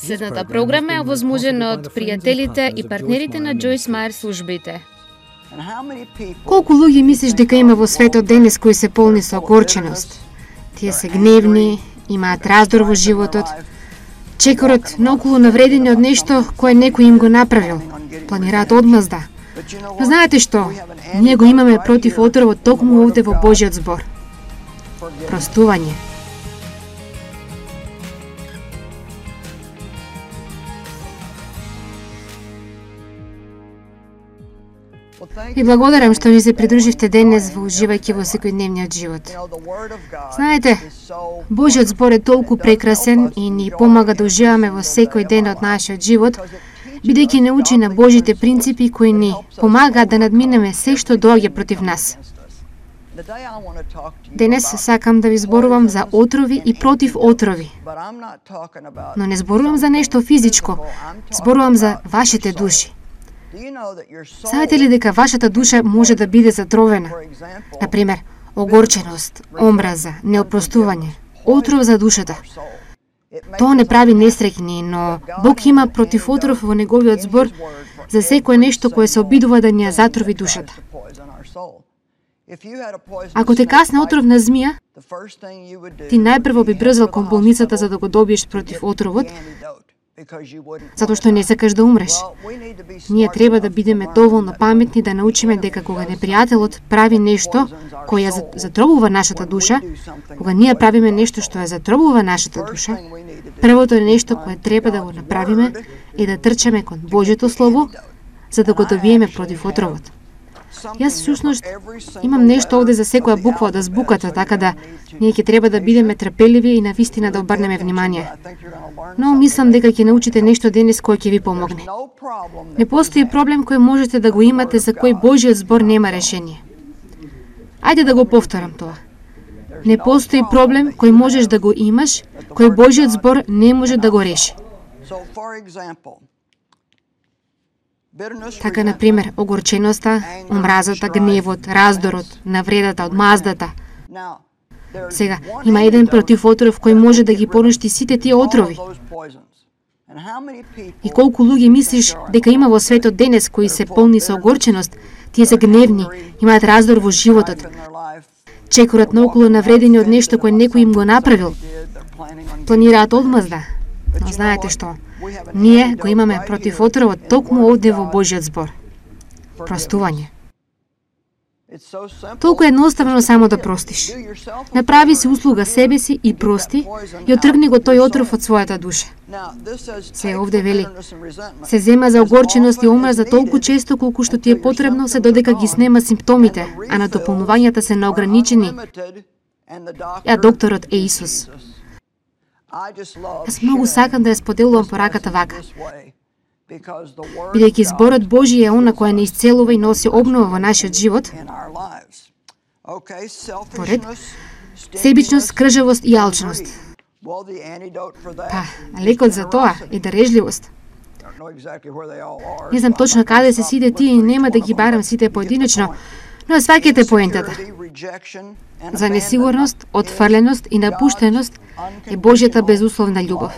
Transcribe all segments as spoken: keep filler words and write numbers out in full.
Следната програма е овозможена од пријателите и партнерите на Джойс Мајер службите. Колку луѓе мислиш дека има во светот денес кои се полни со огорченост? Тие се гневни, имаат раздор во животот, чекорат наоколу навредени од нешто кое некој им го направил, планираат одмазда. Но знаете што? Ние го имаме против отровот токму овде во Божјиот збор. Простување. И благодарам што ни се придруживте денес во уживајќи во секојдневниот живот. Знаете, Божјиот збор е толку прекрасен и ни помага да уживаме во секој ден од нашиот живот, бидејќи не учи на Божите принципи кои ни помагаат да надминеме се што доаѓа против нас. Денес сакам да ви зборувам за отрови и против отрови. Но не зборувам за нешто физичко, зборувам за вашите души. Знаете ли дека вашата душа може да биде затровена? Например, огорченост, омраза, неопростување, отров за душата. Тоа не прави несреќни, но Бог има против отров во неговиот збор за секое нешто кое се обидува да ни ја затрови душата. Ако те касне отров на змија, ти најпрво би брзал кон болницата за да го добиеш против отровот, затоа што не сакаш да умреш. Ние треба да бидеме доволно паметни да научиме дека кога непријателот прави нешто кое ја затробува нашата душа, кога ние правиме нешто што ја затробува нашата душа, првото е нешто кое треба да го направиме е да трчаме кон Божјото Слово за да го добиеме против отровот. Јас всушност имам нешто овде за секоја буква од азбуката, така да ние ќе треба да бидеме трпеливи и навистина да обрнеме внимание. Но мислам дека ќе научите нешто денес кој ќе ви помогне. Не постои проблем кој можете да го имате за кој Божјиот збор нема решение. Ајде да го повторам тоа. Не постои проблем кој можеш да го имаш, кој Божјиот збор не може да го реши. Така, например, огорченоста, омразата, гневот, раздорот, навредата, одмаздата. Сега, има еден против отров кој може да ги поништи сите тие отрови. И колку луѓе мислиш дека има во светот денес кои се полни со огорченост, тие се гневни, имаат раздор во животот, чекорат наоколу навредени од нешто кое некој им го направил, планираат одмазда. Но знаете што? Ние го имаме против отровот токму овде во Божјиот збор. Простување. Толку едноставно само да простиш. Направи си услуга себе си и прости и отргни го тој отров од својата душа. Се овде вели, се зема за огорченост и омраза толку често колку што ти е потребно се додека ги снема симптомите, а на дополнувањата се неограничени. Ја докторот е Исус. Јас многу сакам да ја споделувам пораката вака, бидејќи зборот Божи е она која не исцелува и носи обнова во нашиот живот. Поред, себичност, скржавост и алчност. Па, лекот за тоа е дарежливост. Не знам точно каде се сите тие и нема да ги барам сите поединечно, но сваќате поентата. За несигурност, отфрленост и напуштеност е Божјата безусловна љубов.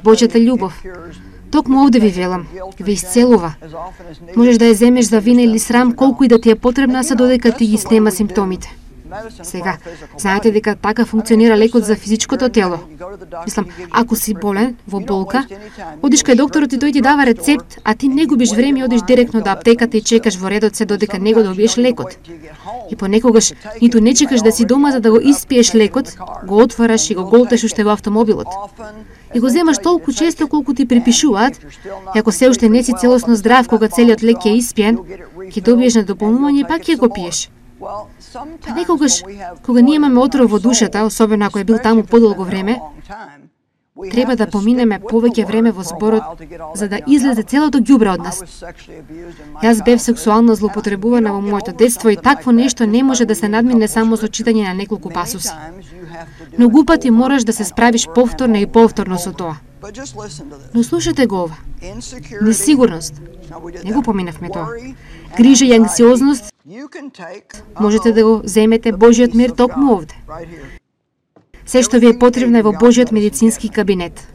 Божјата љубов, токму овде ви велам, ве исцелува. Можеш да ја земеш за вина или срам колку и да ти е потребна се додека ти ги снема симптомите. Сега, знаете дека така функционира лекот за физичкото тело. Мислам, ако си болен, во болка, одиш кај докторот и тој ти дава рецепт, а ти не губиш време и одиш директно до аптеката и чекаш во редот се додека не го добиеш лекот. И понекогаш ниту не чекаш да си дома за да го испиеш лекот, го отвараш и го голташ уште во автомобилот. И го земаш толку често колку ти припишуваат, и ако се уште не си целосно здрав кога целиот лек е испиен, ќе добиеш на дополнување и пак ќе го пиеш. Па некогаш, кога ние имаме отров во душата, особено ако е бил таму подолго време, треба да поминеме повеќе време во зборот за да излезе целото ѓубре од нас. Јас бев сексуално злоупотребувана во моето детство и такво нешто не може да се надмине само со читање на неколку пасуси. Многу пати мораш да се справиш повторно и повторно со тоа. Но слушате го ова. Несигурност. Не го поминавме тоа. Грижа и анксиозност. Можете да го земете Божјиот мир токму овде. Се што ви е потребно е во Божиот медицински кабинет.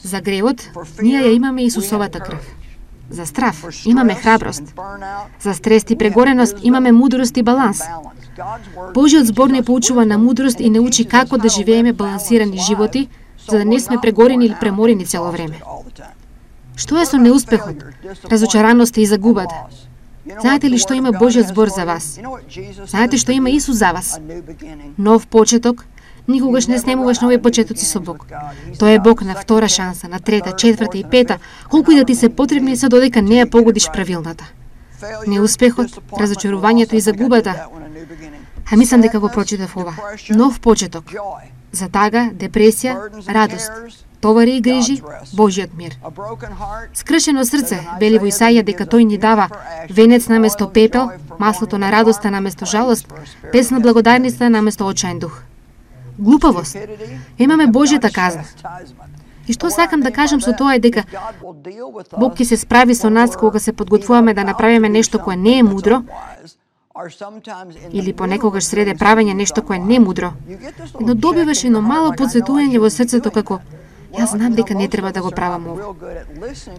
За гревот, ние ја имаме Исусовата крв. За страв имаме храброст. За стрес и прегореност имаме мудрост и баланс. Божиот збор не поучува на мудрост и не учи како да живееме балансирани животи, за да не сме прегорени или преморени цело време. Што е со неуспехот, разочараноста и загубата? Знаете ли што има Божиот збор за вас? Знаете што има Исус за вас? Нов почеток. Никогаш не снемуваш нови почетоци со Бог. Тој е Бог на втора шанса, на трета, четврта и пета, колку и да ти се потребни се додека не ја погодиш правилната. Неуспехот, разочарувањето и загубата. А мислам дека го прочитав ова. Нов почеток. За тага, депресија, радост, товари и грижи, Божиот мир. Скршено срце, вели во Исаија дека тој ни дава венец наместо пепел, маслото на радоста наместо жалост, песна благодарница наместо очаен дух. Глупавост. Имаме Божјата казна. И што сакам да кажам со тоа е дека Бог ќе се справи со нас кога се подготвуваме да направиме нешто кое не е мудро, или понекогаш среде правење нешто кое не е мудро. Но добиваш едно мало подсветување во срцето како јас знам дека не треба да го правам ова.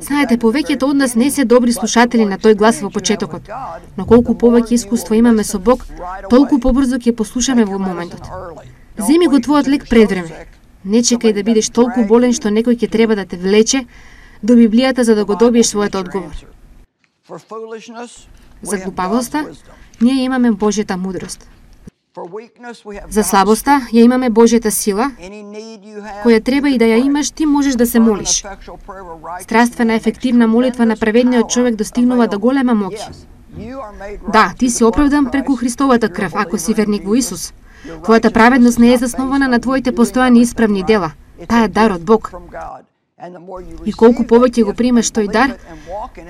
Знаете, повеќето од нас не се добри слушатели на тој глас во почетокот, но колку повеќе искуство имаме со Бог, толку побрзо ќе послушаме во моментот. Земи го твојот лек пред време. Не чекај да бидеш толку болен што некој ќе треба да те влече до Библијата за да го добиеш својот одговор. За глупавоста, ние имаме Божјата мудрост. За слабоста, ја имаме Божјата сила, која треба и да ја имаш, ти можеш да се молиш. Страствена ефективна молитва на праведниот човек достигнува до голема моќ. Да, ти си оправдан преку Христовата крв, ако си верник во Исус. Твојата праведност не е заснована на твоите постојани исправни дела. Таа е дар од Бог. И колку повеќе го примаш тој дар,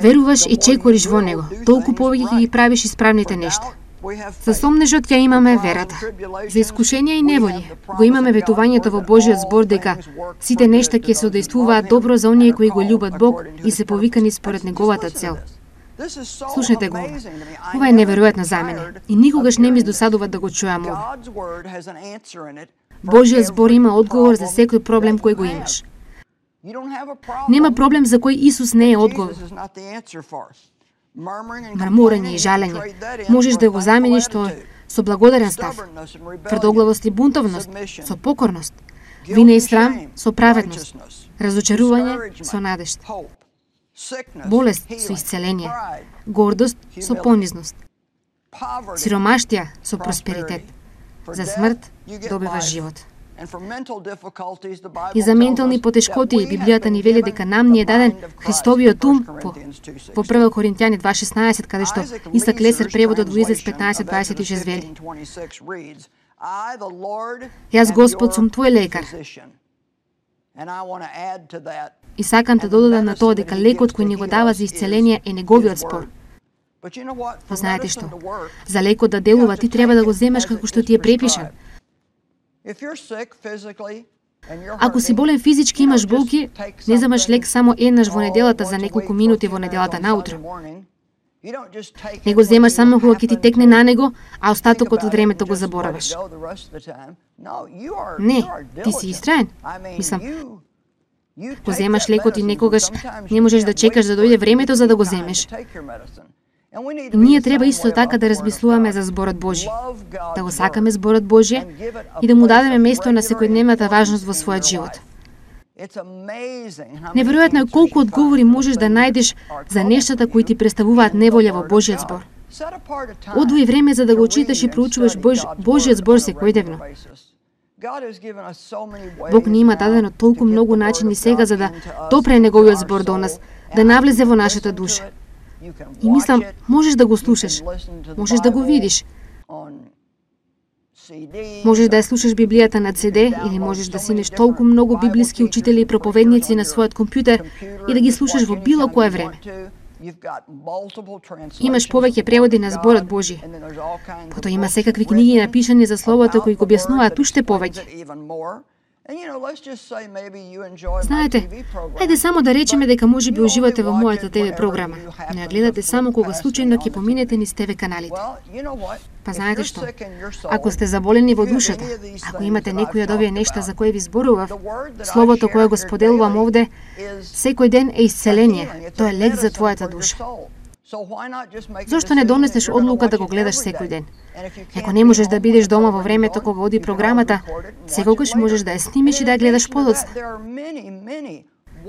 веруваш и чекориш во него, толку повеќе ќе ги правиш исправните нешта. За сомнежот ќе имаме верата. За искушенија и неволји го имаме ветувањето во Божиот збор дека сите нешта ќе се одействуваат добро за оние кои го љубат Бог и се повикани според неговата цел. Слушнете го. Ова е неверојатно за мене и никогаш не ми издосадува да го чујам ова. Божиот збор има одговор за секој проблем кој го имаш. Нема проблем за кој Исус не е одговор. Мрмурење и жалење можеш да го замениш тоа со благодарен став, тврдоглавост и бунтовност со покорност, вина и срам со праведност, разочарување со надежд, болест со исцеление, гордост со понизност, сиромаштија со просперитет. За смрт добиваш живот. И за ментални потешкоти Библијата ни вели дека нам ни е даден Христовиот ум во, во прва Коринтијани два шеснаесет, каде што Исак Лесер преводот во Изаец петнаесет дваесет и шест вели: Јас Господ сум твој лекар. И сакам да додадам на тоа дека лекот кој ни го дава за исцеление е неговиот збор. Но знаете што? За лекот да делува ти треба да го земеш како што ти е препишан. Ако си болен физички, имаш болки, не земаш лек само еднаш во неделата за неколку минути во неделата наутро. Не го земаш само кога ќе ти текне на него, а остатокот од времето го забораваш. Не, ти си истраен. Мислам, го земаш лекот и некогаш не можеш да чекаш да дојде времето за да го земеш. И ние треба исто така да размислуваме за зборот Божи, да го сакаме зборот Божи и да му дадеме место на секојдневната важност во својот живот. Неверојатно е колку одговори можеш да најдеш за нештата кои ти представуваат неволја во Божиот збор. Одвои време за да го читаш и проучуваш Бож... Божиот збор секојдневно. Бог ни има дадено толку многу начини сега за да допре неговиот збор до нас, да навлезе во нашата душа. И мислам, можеш да го слушаш, можеш да го видиш. Можеш да ја слушаш Библијата на Це Де или можеш да синеш толку многу библиски учители и проповедници на својот компјутер и да ги слушаш во било кое време. Имаш повеќе преводи на зборот Божи. Потоа има секакви книги напишани за Словото кои го објаснуваат уште повеќе. Знаете, ајде само да речеме дека можеби уживате во мојата те ве програма, но ја гледате само кога случајно ќе поминете низ те ве каналите. Па знаете што? Ако сте заболени во душата, ако имате некои од овие нешта за кои ви зборував, словото кое го споделувам овде, секој ден е исцеление, тоа е лек за твојата душа. Зошто не донесеш одлука да го гледаш секој ден? Ако не можеш да бидеш дома во времето кога оди програмата, секогаш можеш да ја снимиш и да ја гледаш подоцна.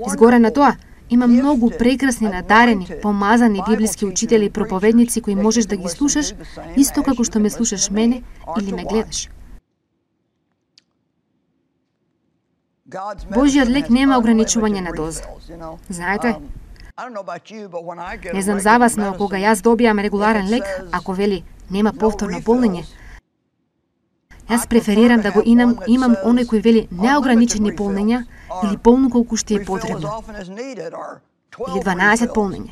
Изгоре на тоа, има многу прекрасни, надарени, помазани библиски учители и проповедници кои можеш да ги слушаш, исто како што ме слушаш мене или ме гледаш. Божјиот лек нема ограничување на доза. Знаете, не знам за вас, но кога јас добијам регуларен лек, ако вели нема повторно полнење, јас преферирам да го имам, имам оној кој вели неограничени полнења или полно колку што е потребно. Или дванаесет полнења.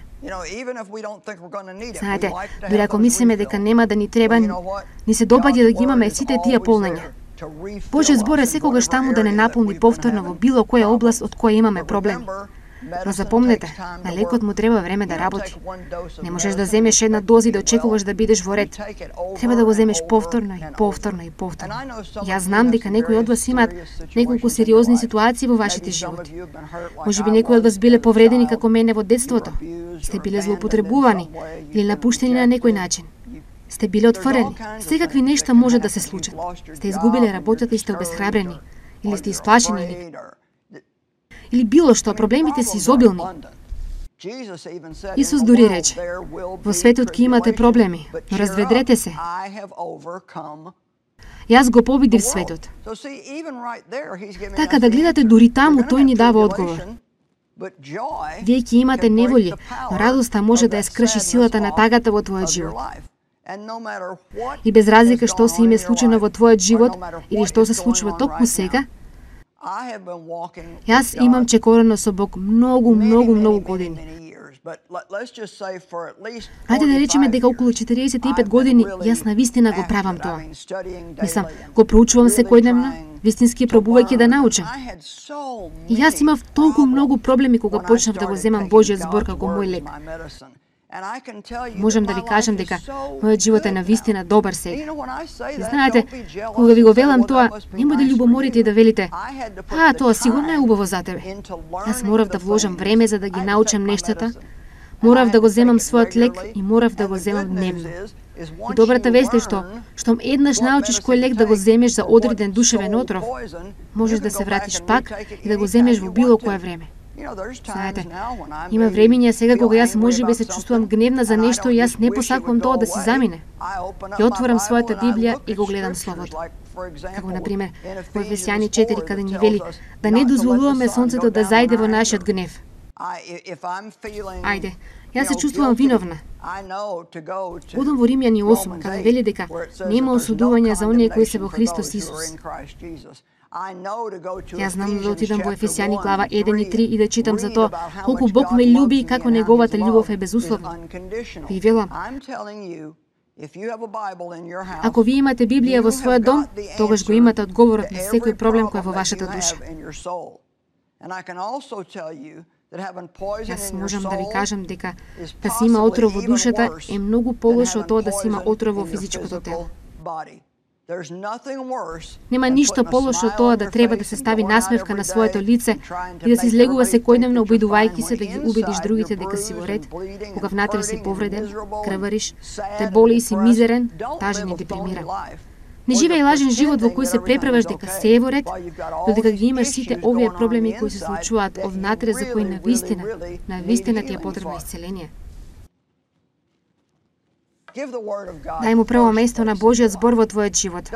Знаете, дури ако мислиме дека нема да ни треба, ни се допаѓа да ги имаме сите тие полнења. Божјиот збор е секогаш таму да не наполни повторно во било која област од која имаме проблеми. Но запомнете, на лекот му треба време да работи. Не можеш да земеш една доза и да очекуваш да бидеш во ред. Треба да го земеш повторно и повторно и повторно. Јас знам дека некои од вас имаат неколку сериозни ситуации во вашите животи. Можеби некои од вас биле повредени како мене во детството. Сте биле злоупотребувани или напуштени на некој начин. Сте биле отфрени. Секакви нешта може да се случат. Сте изгубиле работата и сте обесхрабрени. Или сте исплашени или или било што, проблемите се изобилни. Исус дури рече, во светот ќе имате проблеми, но разведрете се. Јас го победив светот. Така да гледате, дури таму тој ни дава одговор. Вие ќе имате неволји, но радоста може да ја скрши силата на тагата во твојот живот. И без разлика што се име случено во твојот живот или што се случува токму сега, јас имам чекорено со Бог многу, многу, многу години. Ајде да речеме дека околу четириесет и пет години јас навистина го правам тоа. Мислам, го проучувам секојдневно, вистински пробувајќи да научам. И јас имав толку многу проблеми кога почнав да го земам Божјиот збор како мој лек. Можам да ви кажам дека мојот живот е навистина добар сега. И знаете, кога ви го велам тоа, немој да љубоморите и да велите, а, тоа сигурно е убаво за тебе. Јас морав да вложам време за да ги научам нештата, морав да го земам својот лек и морав да го земам дневно. И добрата вест е што, штом еднаш научиш кој лек да го земеш за одреден душевен отров, можеш да се вратиш пак и да го земеш во било кое време. Знаете, има времиња сега кога јас можеби се чувствувам гневна за нешто и јас не посакувам тоа да си замине. Ја отворам својата Библија и го гледам Словото. Како, например, во Ефесјани четири, каде ни вели да не дозволуваме сонцето да зајде во нашиот гнев. Ајде, јас се чувствувам виновна. Одам во Римјани осум, каде вели дека нема осудување за оние кои се во Христос Исус. Јас знам да отидам во Ефесјани глава еден и три и да читам за тоа колку Бог ме љуби и како неговата љубов е безусловна. Ви велам, ако ви имате Библија во својот дом, тогаш го имате одговорот на секој проблем кој е во вашата душа. Јас можам да ви кажам дека да се има отров во душата е многу полошо од тоа да се има отров во физичкото тело. Нема ништо полошо од тоа да треба да се стави насмевка на своето лице и да се излегува секојдневно обидувајќи се да ги убедиш другите дека си во ред, кога внатре си повреден, крвариш, те боли и си мизерен, тажен и депримиран. Не живеј лажен живот во кој се преправаш дека се е во ред, додека ги имаш сите овие проблеми кои се случуваат овнатре за кои навистина, навистина ти е потребно исцеление. Дај му прво место на Божјиот збор во твојот живот.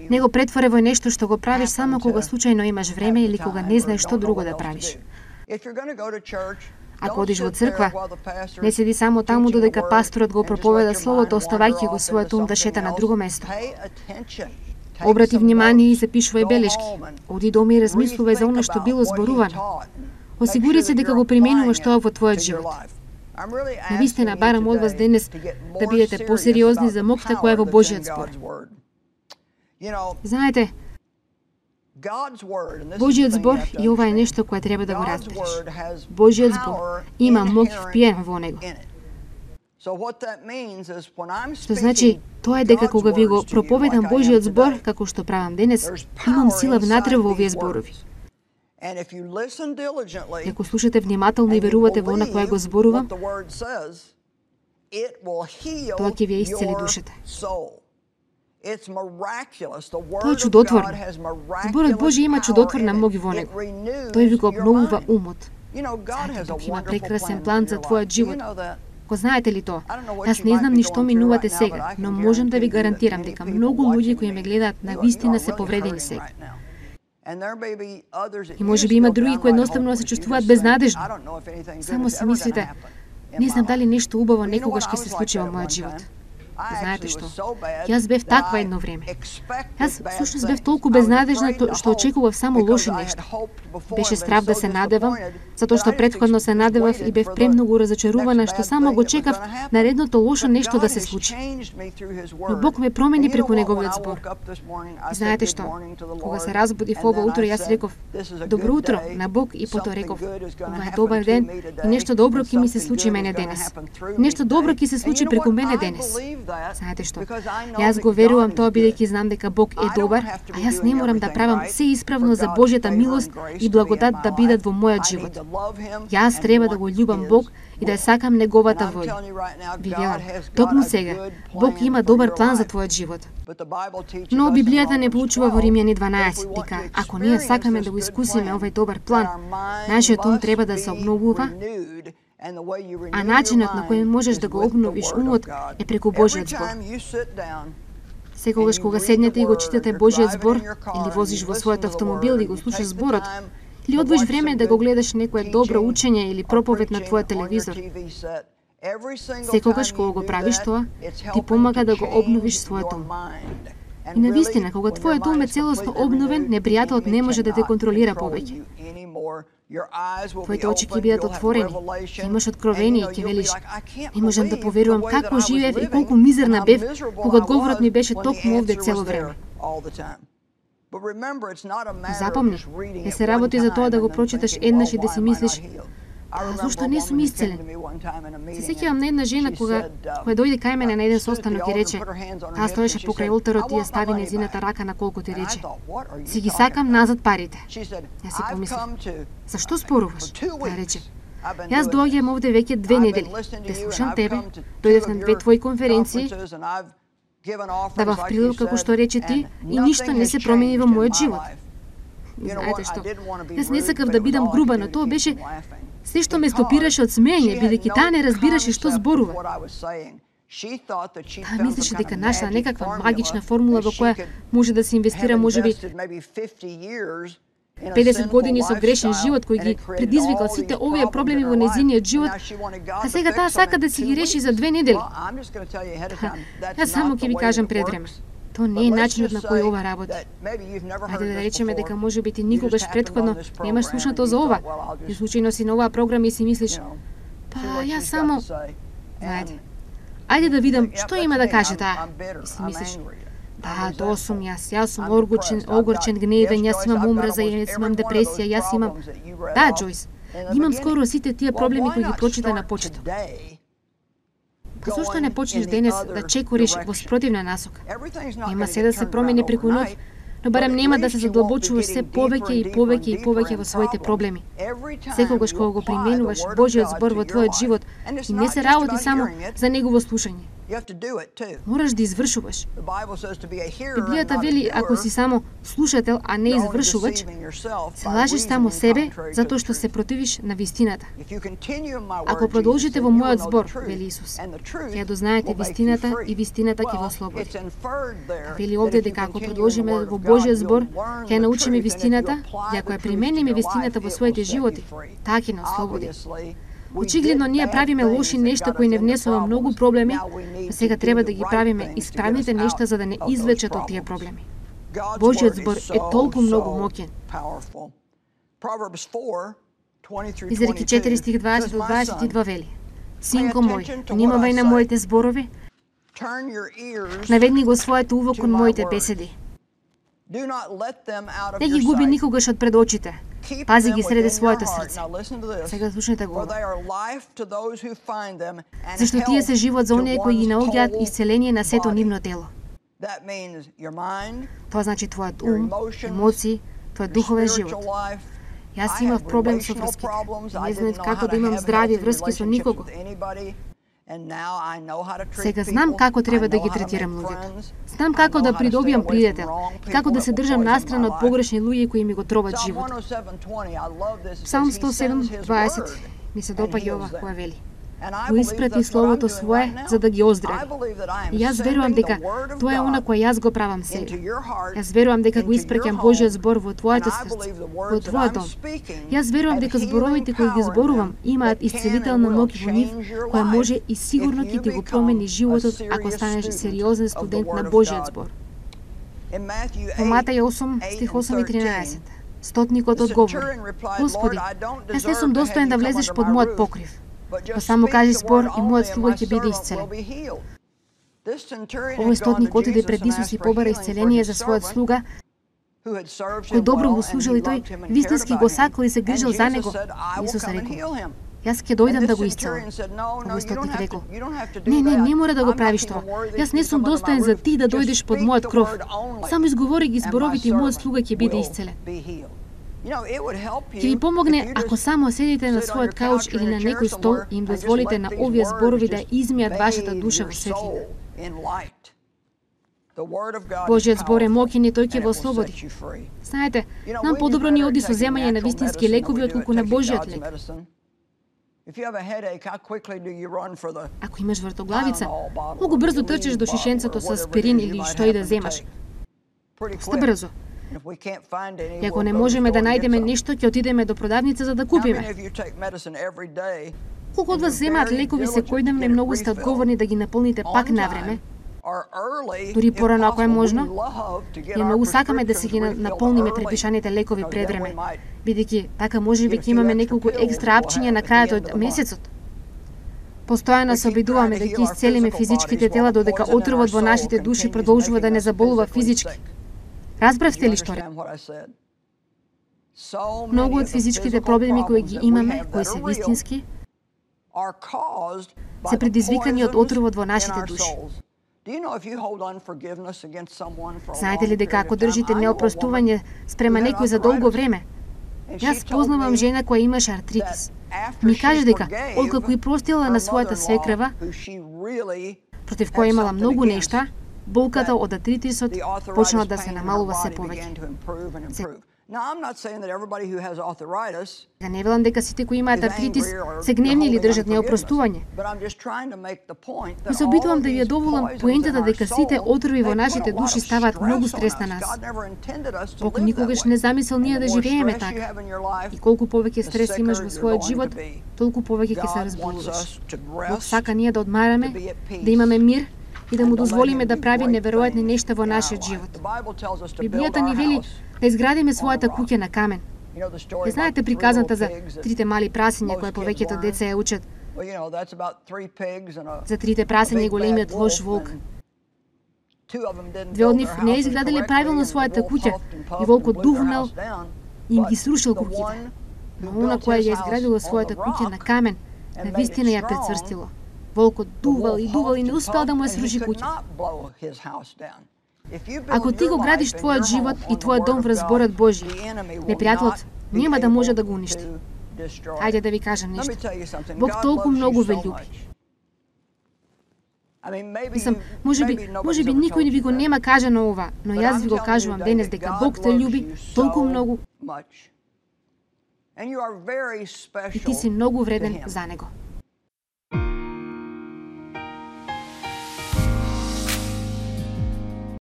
Не го претвори во нешто што го правиш само кога случајно имаш време или кога не знаеш што друго да правиш. Ако одиш во црква, не седи само таму додека пасторот го проповеда словото, оставајќи го својот ум да шета на друго место. Обрати внимание и запишувај белешки. Оди дома и размислувај за оно што било зборувано. Осигури се дека го применуваш тоа во твојот живот. Навистина барам од вас денес да бидете посериозни за моќта која е во Божјиот збор. Знаете, Божиот збор, и ова е нешто кое треба да го разбереш. Божиот збор има моќ впиен во него. Што значи, тоа е дека кога ви го проповедам Божиот збор, како што правам денес, имам сила внатре во овие зборови. И ако слушате внимателно и верувате во она кое го зборувам, тоа ќе ви исцели душата. Тоа е чудотворно. Зборот Божи има чудотворна моќ во него. Тој ви го обновува умот. Знаете, Бог има прекрасен план за твојот живот. Го знаете ли тоа? Јас не знам ни што минувате сега, но можам да ви гарантирам дека многу луѓе кои ме гледаат на вистина се повредени сега. И може би има други кои едноставно се чувствуваат безнадежно. Само си мислите, не знам дали нешто убаво некогаш ќе се случи во мојот живот. Знаете што? Јас бев таква едно време. Јас всушност бев толку безнадежна што очекував само лоши нешта. Беше страв да се надевам, затоа што претходно се надевав и бев премногу разочарувана што само го чекав наредното лошо нешто да се случи. Но Бог ме промени преку неговиот збор. И знаете што? Кога се разбудив ова утро, јас реков: добро утро на Бог, и потоа реков: ова е добар ден и нешто добро ќе ми се случи мене денес. Нешто добро ќе се случи преку мене денес. Знаете што? Јас го верувам тоа бидејќи знам дека Бог е добар, а јас не морам да правам се исправно за Божјата милост и благодат да бидат во мојот живот. Јас треба да го љубам Бог и да сакам неговата волја. Ви велам, токму сега, Бог има добар план за твојот живот. Но Библијата не поучува во Римјани дванаесет, дека ако ние сакаме да го искусиме овој добар план, нашиот ум треба да се обновува, а начинот на кој можеш да го обновиш умот е преку Божиот збор. Секогаш кога седнете и го читате Божиот збор, или возиш во својот автомобил и го слушаш зборот, или одвоиш време да го гледаш некое добро учење или проповед на твојот телевизор, секогаш кога го правиш тоа, ти помага да го обновиш својот ум. И навистина, кога твојот ум е целосно обновен, непријателот не може да те контролира повеќе. Твоите очи ќе бидат отворени, ќе имаш откровение и ќе велиш: не можам да поверувам како живеев и колку мизерна бев, кога одговорот ми беше токму овде цело време. Запомни, не се работи за тоа да го прочиташ еднаш и да си мислиш: а зошто не сум исцелен? Се сеќавам на една жена кога која дојде кај мене на еден состанок и рече, таа стоеше покрај олтарот и ја стави нејзината рака на колкото и рече: си ги сакам назад парите. Јас си помислив: зашто споруваш? Таа рече: јас доаѓам овде веќе две недели, те слушам тебе, дојдев на две твои конференции, давав прилог како што рече ти, и ништо не се промени во мојот живот. Знаете што? Јас не сакав да бидам груба, но тоа беше се што ме стопираше од смеење, бидејќи таа не разбираше што зборува. Таа мислеше дека нашла некаква магична формула во која може да се инвестира можеби педесет години со грешен живот кој ги предизвикал сите овие проблеми во нејзиниот живот, а сега таа сака да си ги реши за две недели. Јас само ќе ви кажам пред време. Тоа не е начинот на кој ова работи. Ајде да речеме дека можеби ти никогаш претходно немаш слушнато за ова, и случајно си на оваа програма и си мислиш: па јас само... Знаете, ајде да видам што има да каже таа. И си мислиш: да, тоа сум јас, јас сум огорчен, огорчен, гневен, јас имам омраза, јас имам депресија, јас имам... Да, Џојс, имам скоро сите тие проблеми кои ги прочита на почеток. Зошто не почнеш денес да чекориш во спротивна насока? Нема се да се промени преку ноќ, но барем нема да се задлабочуваш се повеќе и повеќе и повеќе во своите проблеми. Секогаш кога го применуваш Божиот збор во твојот живот, и не се работи само за негово слушање. Мораш да извршуваш. Библијата вели, ако си само слушател, а не извршувач, се лажиш само себе затоа што се противиш на вистината. Ако продолжите во мојот збор, вели Исус, ќе дознаете вистината и вистината ќе ве ослободи. Вели овде дека ако продолжиме во Божиот збор, ќе научиме вистината, и ако ја примениме вистината во своите животи, таа ќе не ослободи. Очигледно ние правиме лоши нешта кои не внесува многу проблеми, а сега треба да ги правиме исправните нешта за да не извлечат од тие проблеми. Божиот збор е толку многу моќен. Изреки четири стих дваесет до дваесет и два вели: Синко мој, внимавај на моите зборови, наведни го своето уво кон моите беседи. Не ги губи никогаш од пред очите. Пази ги среде своето срце. Сега слушнете го. Зашто тие се живот за оние кои ги наоѓаат исцеление на сето нивно тело. Тоа значи твојот ум, емоции, твојот духовен живот. Јас имав проблем со врските. Не знаев како да имам здрави врски со никого. Сега знам како треба да ги третирам луѓето. Знам како да придобиам пријател и како да се држам настрана од погрешни луѓе кои ми го троват животот. Псалм сто седум дваесет ми се допаѓа ова која вели: го испрати словото свое за да ги оздрави. И јас верувам дека тоа е она кое јас го правам сега. Јас верувам дека го испраќам Божјиот збор во твоето срце, во твојот дом. Јас верувам дека зборовите кои ги зборувам имаат исцелителна моќ во нив, која може и сигурно ќе ти го промени животот ако станеш сериозен студент на Божјиот збор. Во Матеј осум стих осум и тринаесет. Стотникот одговори: Господи, јас не сум достоен да влезеш под мојот покрив. Но само кажи збор и мојот слуга ќе биде исцелен. Овој стотник отиде пред Исус и побара исцеление за својот слуга, кој добро го служил и тој вистински го сакал и се грижал за него. Исус рекол: јас ќе дојдам да го исцелам. Овој стотник рекол: Не, не, не мора да го правиш тоа. Јас не сум достоен за ти да дојдеш под мојот кров. Само изговори ги зборовите и мојот слуга ќе биде исцелен. Ќе ви помогне ако само седите на својот кауч или на некој стол и им дозволите на овие зборови да измијат вашата душа во светлина. Божјиот збор е моќен и тој ќе ве ослободи. Знаете, нам подобро ни оди со земање на вистински лекови отколку на Божјиот лек. Ако имаш вртоглавица, многу брзо трчеш до шишенцето со аспирин или што и да земаш. Доста брзо. И ако не можеме да најдеме нешто, ќе отидеме до продавница за да купиме. Колку од вас земаат лекови секојдневно и многу сте одговорни да ги наполните пак на време, дури порано ако е можно, и многу сакаме да се ги наполниме препишаните лекови пред време, бидејќи така можеби ќе имаме неколку екстра апчиња на крајот од месецот. Постојано се обидуваме да ги исцелиме физичките тела додека отровот во нашите души продолжува да не заболува физички. Разбравте ли што реков? Многу од физичките проблеми кои ги имаме, кои се вистински, се предизвикани од отровот во нашите души. Знаете ли дека ако држите неопростување спрема некој за долго време? Јас познавам жена која имаше артритис. Ми каже дека, откако и простила на својата свекрва, против која имала многу нешта, болката од артритисот почнала да се намалува се повеќе. Ја не велам дека сите кои имаат артритис се гневни или држат неопростување. Но се обидувам да ви ја доволам поентата дека сите отрови во нашите души ставаат многу стрес на нас. Бог никогаш не замисел ние да живееме така. И колку повеќе стрес имаш во својот живот, толку повеќе ќе се разболуваш. Бог сака ние да одмараме, да имаме мир и да му дозволиме да прави неверојатни нешта во нашиот живот. Библијата ни вели да изградиме својата куќа на камен. Ја знаете приказната за трите мали прасиња кои повеќето деца ја учат? За трите прасиња и големиот лош волк. Две од нив не изградиле правилно својата куќа и волкот дувнал и им ги срушил куќите. Но она која ја изградила својата куќа на камен, на вистина ја прецврстило. Волкот дувал и дувал и не успел да му ја сруши куќата. Ако ти го градиш твојот живот и твојот дом врз зборот Божји, непријателот нема да може да го уништи. Хајде да ви кажам нешто. Бог толку многу ве љуби. Мислам, можеби, можеби никој не ви го нема кажано ова, но јас ви го кажувам денес дека Бог те љуби толку многу и ти си многу вреден за Него.